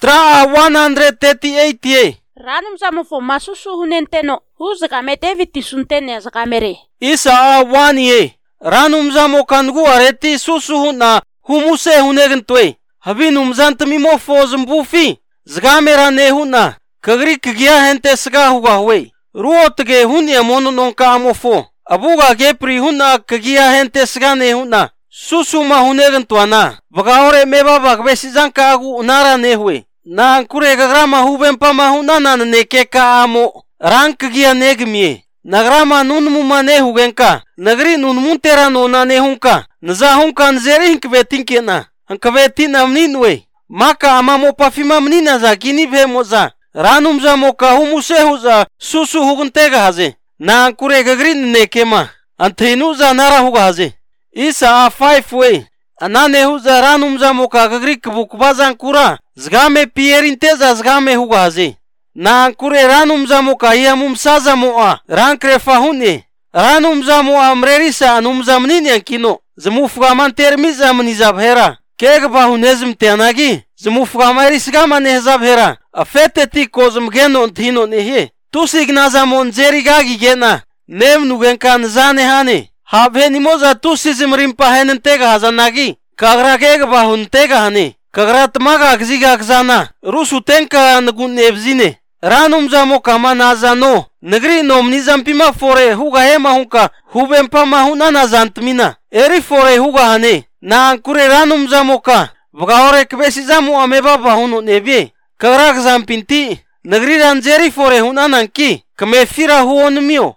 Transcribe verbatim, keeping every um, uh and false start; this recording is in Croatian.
Tra one thirty-eight ye. Rano mzamufo masusu hunenteno. Huzaga metevi tisuntene zagamere. Isa one ye. Rano mzamo kangu areti susu huna humuse hunegentwe. Habinu mzantamimo fo zmbufi. Zagamera ne huna. Kagri kgia hente sga huga huwe. Ruotge hunya mono nonka amofo. Abuga gepri huna kgia hente sga ne huna. Susu ma hunegentwana. Bagahore meba bagbesi zanka agu unara ne huwe. Na kure gagrama hubempa ma hunana ne keka amo. Rank gia negmie. Nagrama nun mumane hugenka. Nagri nun muntera no na ne hunka. Nza hunka nzeri hinkvetinkiena. Hankvetina mninwe. Maka amamo pafima mnina za gini vemoza. Ranum za moka humuse huza susu hugntega haze. Na kure gagri ne kema. Antenu za nara huga haze. Isa a five way. Anane huza ranum za moka gagri kbukbazan kura. Zgame pierinteza zgame huga haze. Na kure ranum za moka yamum saza moa. Rankre fahune. Ranum za moa mrerisa anum za mnini kino. Zmufgaman termiza mnizabhera. Keg bahunezm tenagi. Zmufgamari sgama nehzabhera. Afeteti kozm geno ntino nehe. Tusignaza monzeri gagi gena. Nem nugenka nzane hane. Habhe nimoza tusizm rimpa henentega hazanagi. Kagra keg bahuntega hane. Kagra tmaga gziga gzana. Rusu tenka ngun nebzine. Ranum zamo kama nazano. Negri nomnizam pima fore huga hema hunka. Hubempa mahuna nazantmina. Eri fore huga hane. Na kure ranum zamo ka. Vgahore kbesi zamo ameba bahuno nebye. Kagra gzampinti. Negri ranzeri fore hunananki. Kame fira huon mio.